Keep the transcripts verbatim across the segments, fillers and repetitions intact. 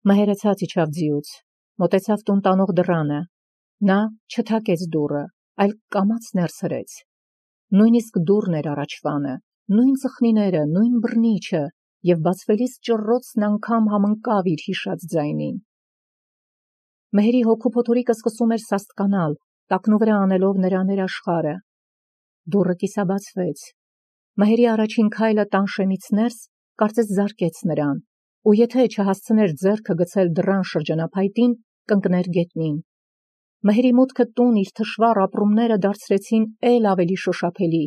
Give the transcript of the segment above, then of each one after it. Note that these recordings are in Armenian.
Մհերը ցած իջավ ձիուց, մոտեցավ տուն տանող դռանը, նա չթակեց դուռը, այլ կամաց ներս հրեց, նույնիսկ դուռն էր առաջվանը, նույն ծխնիները, նույն բռնիչը, և բացվելիս ճռռոցն անգամ համընկավ իր հիշած ձայնին։ Մհերի հոգու փոթորիկը սկսում էր սաստկանալ, տակնուվրա անելով նրա ներաշխարը։ Դուռը կիսաբացվեց։ Մհերի առաջին քայլը տան շեմից ներս կարծես զարկեց նրան, ու եթե չհասցներ ձեռքը գցել դռան շրջանափայտին, կընկներ գետնին։ Մհերի մուտքը տուն իր թշվառ ապրումները դարձրեցին էլ ավելի շոշափելի։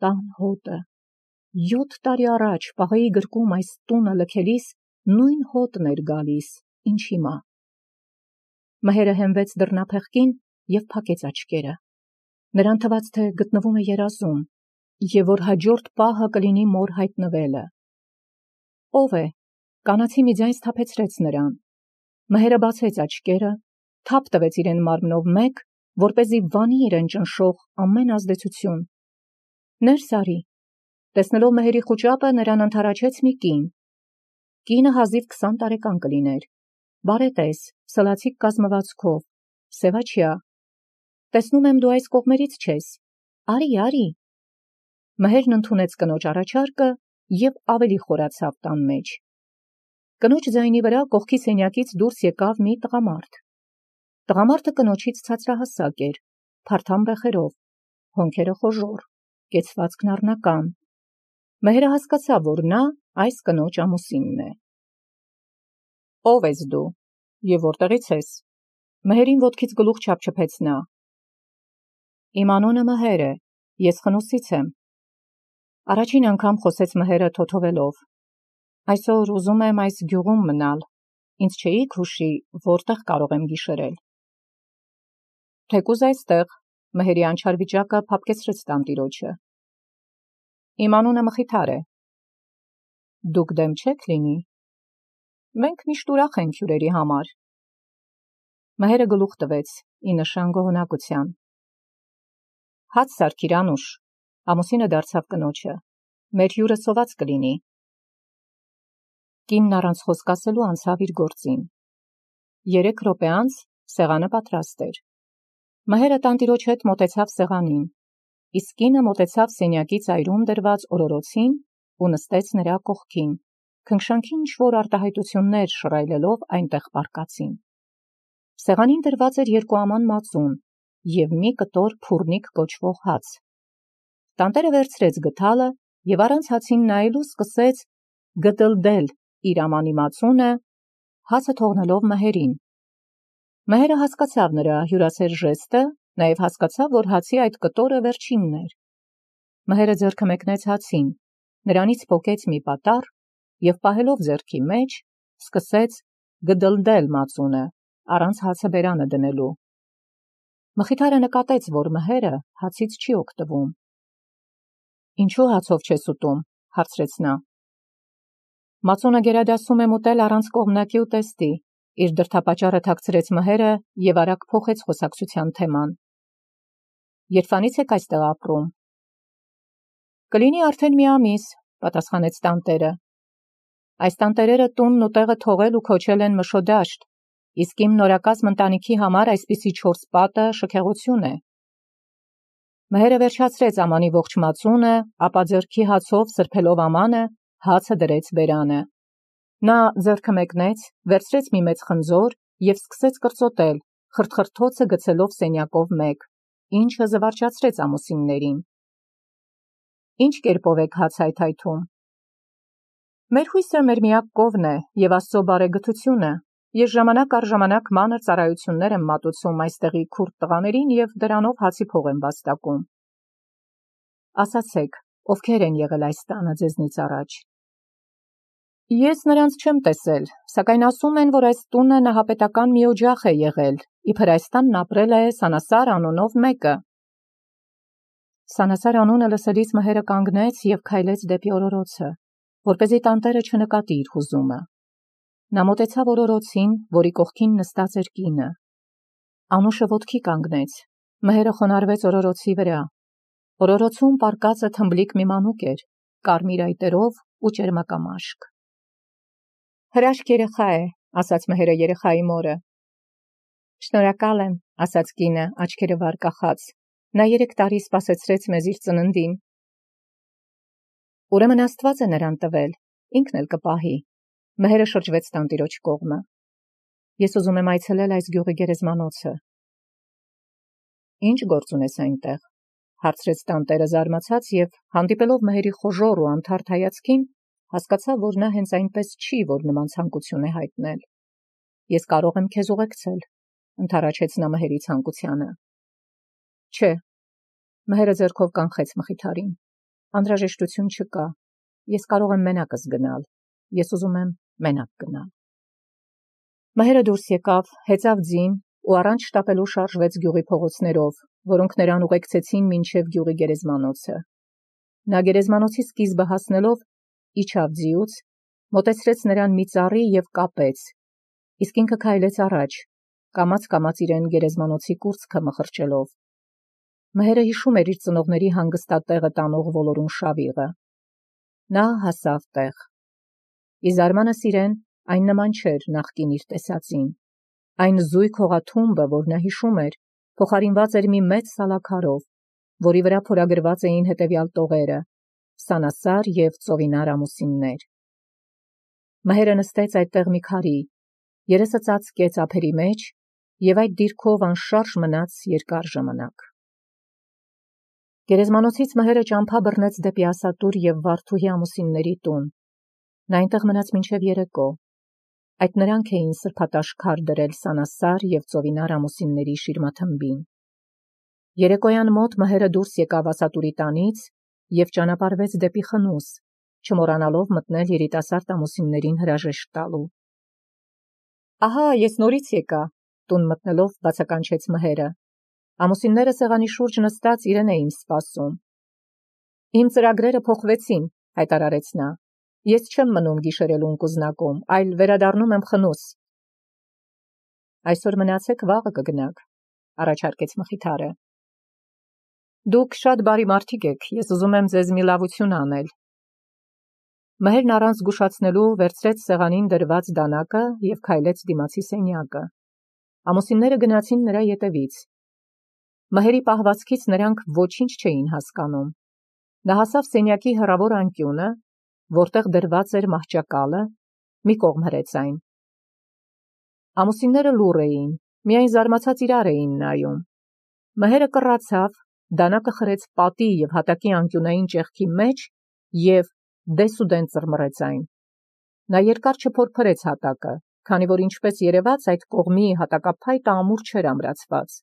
Տան հոտը։ Յոթ տարի առաջ պաղեի գրկում այս տունը լքելիս նույն հոտն էր գալիս, ինչ հիմա։ Մհերը հենվեց դռնափեղկին և փակեց աչքերը։ Նրան թվաց, թե գտնվում է երազում, և որ հաջորդ պահը կլինի մոր հայտնվելը։ Ո՞վ է։ Կանացի մի ձայն սթափեցրեց նրան։ Մհերը բացեց աչքերը, թափ տվեց իրեն մարմնով մեկ, որպեսզի վանի իրեն ճնշող ամեն ազդեցություն։ Ներս արի։ Տեսնելով մհերի խուճապը, նրան ընդառաջեց մի կին։ Կինը հազիվ քսան տարեկան կլիներ, բարետես, սլացիկ կազմվածքով, սևաչյա։ Տեսնում եմ, դու այս կողմերից չես։ Արի, արի։ Մհերն ընդունեց կնոջ առաջարկը և ավելի խորացավ տան մեջ։ Կնոջ ձայնի վրա կողքի սենյակից դուրս եկավ մի տղամարդ։ Տղամարդը կնոջից ցածրահասակ էր, փարթամ բեխերով, հոնքերը խոժոռ, կեցվածքն առնական։ Մհերը հասկացավ, որ նա այս կնոջ ամուսինն է։ Ո՞վ ես դու և որտեղից ես։ Մհերին ոտքից գլուխ չափչփեց նա։ Իմ անունը Մհեր է, ես Խնոսից եմ։ Առաջին անգամ խոսեց Մհերը թոթովելով։ Այսօր ուզում եմ այս գյուղում մնալ, ինձ չէիք հուշի, որտեղ կարող եմ գիշերել։ Թեկուզ այստեղ, Մհերի անչար վիճակը փափկեցրեց տանտիրոջը։ Իմ անունը Մխիթար է։ Դուք դեմ չեք լինի։ Մենք միշտ ուրախ ենք հյուրերի համար։ Մհերը գլուխ տվեց, ի նշան գոհունակության։ Հաց սարքիր, Անուշ, ամուսինը դարձավ կնոջը, մեր հյուրը սոված կլինի։ Կինն առանց խոսք ասելու անցավ իր գործին։ Երեք րոպե անց սեղանը պատրաստ էր։ Մհերը տանտիրոջ հետ մոտեցավ սեղանին, իսկ կինը մոտեցավ սենյակի ծայրում դրված օրորոցին ու նստեց նրա կողքին, քնքշանքի ինչ-որ արտահայտություններ շռայլելով այնտեղ պառկածին։ Սեղանին դրված էր երկուաման մածուն և մի կտոր փուռնիկ կոչվող հաց։ Տանտերը վերցրեց գդալը և առանց հացին նայելու սկսեց գդլդել իր ամանի մածունը, հացը թողնելով Մհերին։ Մհերը հասկացավ նրա հյուրասեր ժեստը, նաև հասկացավ, որ հացի այդ կտորը վերջինն էր։ Մհերը ձեռքը մեկնեց հացին, նրանից պոկեց մի պատառ և պահելով ձեռքի մեջ, սկսեց գդլդել մածունը, առանց հացը բերանը դնելու։ Մխիթարը նկատեց, որ Մհերը հացից չի օգտվում։ Ինչու հացով չես ուտում, հարցրեց նա։ Մածունը գերադասում եմ ուտել առանց կողմնակի ուտեստի, իր դրդապատճառը թաքցրեց Մհերը և արագ փոխեց խոսակցության թեման։ Երբանից եք այստեղ ապրում։ Կլինի արդեն մի ամիս, պատասխանեց տանտերը։ Այս տանտերերը տունն ու տեղը թողել ու քոչել են Մշոդաշտ, իսկ իմ նորակազմ ընտանիքի համար այսպիսի չորս պատը շքեղություն է։ Մհերը վերջացրեց ամանի ողջ մածունը, ապա ձեռքի հացով սրբելով ամանը, հացը դրեց բերանը։ Նա ձեռքը մեկնեց, վերցրեց մի մեծ խնձոր և սկսեց կրծոտել, խրթխրթոցը գցելով սենյակով մեկ, ինչը զվարճացրեց ամուսիններին։ Ինչ կերպով եք հաց հայթայթում։ Մեր հույսը մեր միակ կովն է և Աստծո բարեգթությունը։ Ես ժամանակ առ ժամանակ մանր ծառայություններ եմ մատուցում այստեղի քուրդ տղաներին և դրանով հացի փող եմ վաստակում։ Ասացեք, ովքեր են եղել այս տանը ձեզնից առաջ։ Ես նրանց չեմ տեսել, սակայն ասում են, որ այս տունը նահապետական մի օջախ է եղել, իբր այս տանն ապրել է Սանասար անունով մեկը։ Սանասար անունը լսելիս Մհերը կանգնեց և քայլեց դեպի օրորոցը, որպեսզի տանտերը չնկատի իր հուզումը։ Նա մոտեցավ օրորոցին, որի կողքին նստած էր կինը։ Անուշը ոտքի կանգնեց, Մհերը խոնարհվեց օրորոցի վրա։ Օրորոցում պառկածը թմբլիկ մի մանուկ էր, կարմիր այտերով ու ճերմակամաշկ։ Հրաշք երեխա է, ասաց Մհերը երեխայի մորը։ Շնորհակալ եմ, ասաց կինը, աչքերը վար կախած։ Նա երեք տարի սպասեցրեց մեզ իր ծննդին։ Ուրեմն Աստված է նրան տվել, ինքն էլ կպահի։ Մհերը շրջվեց տանտիրոջ կողմը։ Ես ուզում եմ այցելել այս գյուղի գերեզմանոցը։ Ինչ գործ ունես այնտեղ, հարցրեց տանտերը զարմացած եւ հանդիպելով Մհերի խոժոռ ու անթարթ հայացքին, հասկացավ, որ նա հենց այնպես չի, որ նման ցանկություն է հայտնել։ Ես կարող եմ քեզ ուղեկցել, ընդառաջեց նա Մհերի ցանկությանը։ Չէ, Մհերը ձեռքով կանխեց մխիթարին։ Անհրաժեշտություն չկա։ Ես կարող եմ մենակս գնալ։ Ես ուզում եմ մենակ գնալ։ Մհերը դուրս եկավ, հեծավ ձին ու առանց շտապելու շարժվեց գյուղի փողոցներով, որոնք նրան ուղեկցեցին մինչև գյուղի գերեզմանոցը։ Նա գերեզմանոցի սկիզբը հասնելով իջավ ձիուց, մոտեցրեց նրան մի ծառի եւ կապեց, իսկ ինքը քայլեց առաջ, կամաց-կամաց իրեն գերեզմանոցի կուրծքը մխրճելով։ Մհերը հիշում էր իր ծնողների հանգստատեղը տանող ոլորուն շավիղը։ Նա հասավ տեղ։ Ի զարմանս իրեն այն նման չէր նախկին իր տեսածին։ Այն զույգ հողաթումբը, որ նա հիշում էր, փոխարինված էր մի մեծ սալաքարով, որի վրա փորագրված էին հետևյալ տողերը՝ Սանասար եւ Ծովինար ամուսիններ։ Մհերը նստեց այդտեղ մի քարի, երեսը ծածկեց ափերի մեջ եւ այդ դիրքով անշարժ մնաց երկար ժամանակ։ Գերեզմանոցից Մհերը ճամփա բռնեց դեպի Ասատուր եւ Վարդուհի ամուսինների տուն։ Նա այնտեղ մնաց մինչև երեկո։ Այդ նրանք էին սրբատաշ քար դրել Սանասար եւ Ծովինար ամուսինների շիրմաթմբին։ Երեկոյան մոտ Մհերը դուրս եկավ Ասատուրի տանից եւ ճանապարհվեց դեպի Խնուս, չմոռանալով մտնել երիտասարդ ամուսիններին հրաժեշտ տալու։ Ահա, ես նորից եկա, տուն մտնելով բացականչեց Մհերը։ Ամուսինները սեղանի շուրջ նստած իրեն էին սպասում։ Իմ ծրագրերը փոխվեցին, հայտարարեց նա։ Ես չեմ մնում գիշերելուն կուզնակում, այլ վերադառնում եմ Խնուս։ Այսօր մնացեք, վաղը կգնաք, առաջարկեց մխիթարը։ Դուք շատ բարի մարդիկ եք, ես ուզում եմ ձեզ մի լավություն անել։ Մհերն առանց զգուշացնելու վերցրեց սեղանին դրված դանակը եւ քայլեց դիմացի սենյակը։ Ամուսինները գնացին նրա ետևից։ Մհերի պահվածքից նրանք ոչինչ չէին հասկանում։ Նա հասավ սենյակի հեռավոր անկյունը, որտեղ դրված էր մահճակալը, մի կողմ հրեց այն։ Ամուսինները լուռ էին, միայն զարմացած իրար էին նայում։ Մհերը կռացավ, դանակը խրեց պատի եւ հատակի անկյունային ճեղքի մեջ եւ դեսուդեն ծռմռեց այն։ Նա երկար չփորփրեց հատակը, քանի որ ինչպես երևաց այդ կողմի հատակափայտը ամուր չէր ամրացված։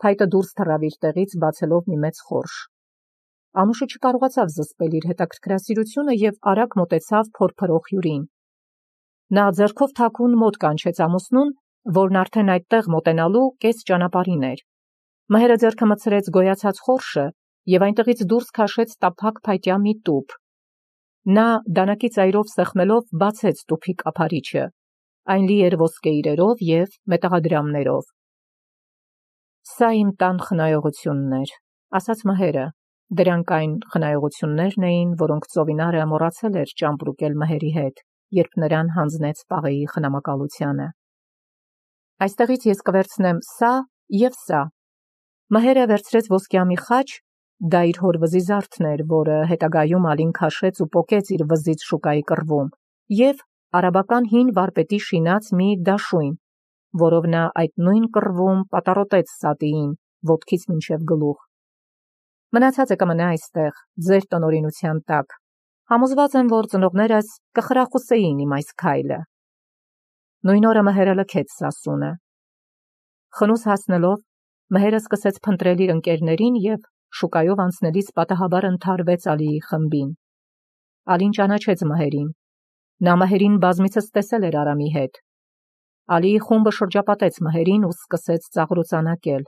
Փայտը դուրս թռավ իր տեղից, բացելով մի մեծ խորշ։ Ամուշը չկարողացավ զսպել իր հետաքրքրասիրությունը եւ արագ մոտեցավ փորփրող հյուրին։ Նա ձեռքով թաքուն մոտ կանչեց ամուսնուն, որն արդեն այդտեղ մոտենալու կես ճանապարհին էր։ Մհերը ձեռքը մտցրեց գոյացած խորշը եւ այնտեղից դուրս քաշեց տափակ փայտյա մի տուփ։ Նա դանակի ծայրով սեղմելով բացեց տուփի կափարիչը։ Այն լի էր ոսկե իրերով եւ մետաղադրամներով։ Սա իմ տան խնայողությունն էր, ասաց Մհերը։ Դրանք այն խնայողություններն էին, որոնք Ծովինարը մոռացել էր ճամպրուկել Մհերի հետ, երբ նրան հանձնեց պաղեի խնամակալությանը։ Այստեղից ես կվերցնեմ սա եւ սա։ Մհերը վերցրեց ոսկյամի խաչ, դա իր հոր վզի զարդն էր, որը հետագայում Ալին քաշեց ու պոկեց իր վզից շուկայի կռվում, եւ արաբական հին վարպետի շինած մի դաշույն, որով նա այդ նույն կռվում պատառոտեց Սատիին, ոտքից մինչև գլուխ։ Մնացածը կմնա այստեղ, ձեր տնօրինության տակ։ Համոզված եմ, որ ծնողներս կխրախուսեին իմ այս քայլը։ Նույն օրը Մհերը լքեց Սասունը։ Խնուս հասնելով, Մհերը սկսեց փնտրել իր ընկերներին եւ շուկայով անցնելիս պատահաբար ընդհարվեց Ալիի խմբին։ Ալին ճանաչեց Մհերին։ Նա Մհերին բազմիցս տեսել էր Արամի հետ։ Ալիի խումբը շրջապատեց Մհերին ու սկսեց ծաղրոցանակել։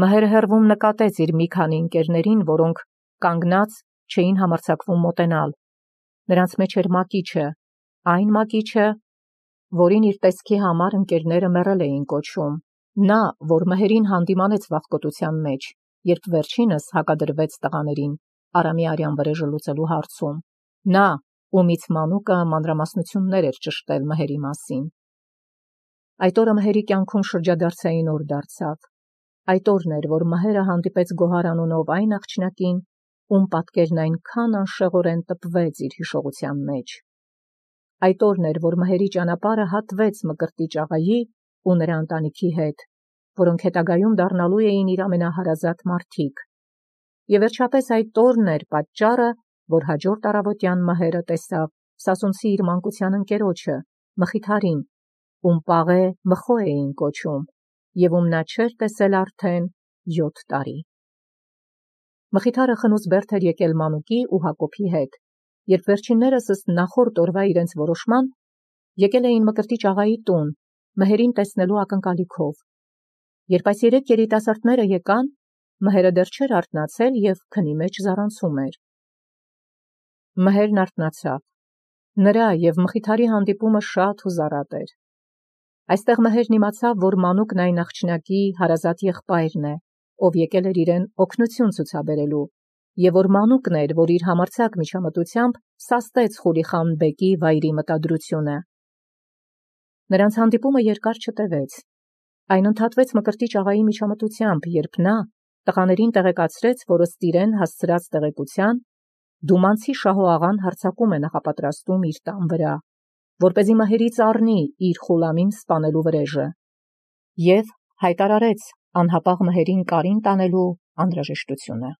Մհերը հեռվում նկատեց իր մի քանի ընկերներին, որոնք կանգնած չէին համարձակվում մոտենալ։ Նրանց մեջ էր Մակիչը, այն Մակիչը, որին իր տեսքի համար ընկերները մեռել էին կոչում։ Նա, որ Մհերին հանդիմանեց վախկոտության մեջ, երբ վերջինս հակադրվեց տղաներին Արամի արյան վրեժը լուծելու հարցում։ Նա, ումից մանուկը մանրամասնություններ էր ճշտել Մհերի մասին։ Այդ օրը Մհերի կյանքում շրջադարձային օր դարձավ։ Այդ օրն էր, որ Մհերը հանդիպեց Գոհար անունով այն աղջնակին, ում պատկերն այնքան անշեղորեն տպվեց իր հիշողության մեջ։ Այդ օրն էր, որ Մհերի ճանապարհը հատվեց Մկրտիչ աղայի ու նրա ընտանիքի հետ, որոնք հետագայում դառնալու էին իր ամենահարազատ մարդիկ։ Եվ վերջապես այդ օրն էր պատճառը, որ հաջորդ առավոտյան Մհերը տեսավ սասունցի իր մանկության ընկերոջը, Մխիթարին, ում Պաղե Մխո էին կոչում, և ում նա չէր տեսել արդեն յոթ տարի։ Մխիթարը խնուց բերդ էր եկել Մանուկի ու Հակոբի հետ, երբ վերջիններս ըստ նախորդ օրվա իրենց որոշման եկել էին Մկրտիչ աղայի տուն, Մհերին տեսնելու ակնկալիքով։ Երբ այս երեք երիտասարդները եկան, Մհերը դեռ չէր արթնացել և քնի մեջ զառանցում էր։ Մհերն արթնացավ։ Նրա և Մխիթարի հանդիպումը շատ հուզառատ էր։ Այստեղ Մհերն իմացավ, որ Մանուկն այն աղջնակի հարազատ եղբայրն է, ով եկել էր իրեն օգնություն ցուցաբերելու, և որ Մանուկն էր, որ իր համարձակ միջամտությամբ սաստեց Խուլիխան բեկի վայրի մտադրությունը։ Նրանց հանդիպումը երկար չտևեց։ Այն ընդհատվեց Մկրտիչ աղայի միջամտությամբ, երբ նա տղաներին տեղեկացրեց, որ ըստ իրեն հասցրած տեղեկության Դումանցի Շահո աղան հարձակում է նախապատրաստում իր տան վրա, որպեսզի Մհերից առնի իր Խուլամին սպանելու վրեժը, և հայտարարեց անհապաղ Մհերին կարին տանելու անհրաժեշտությունը։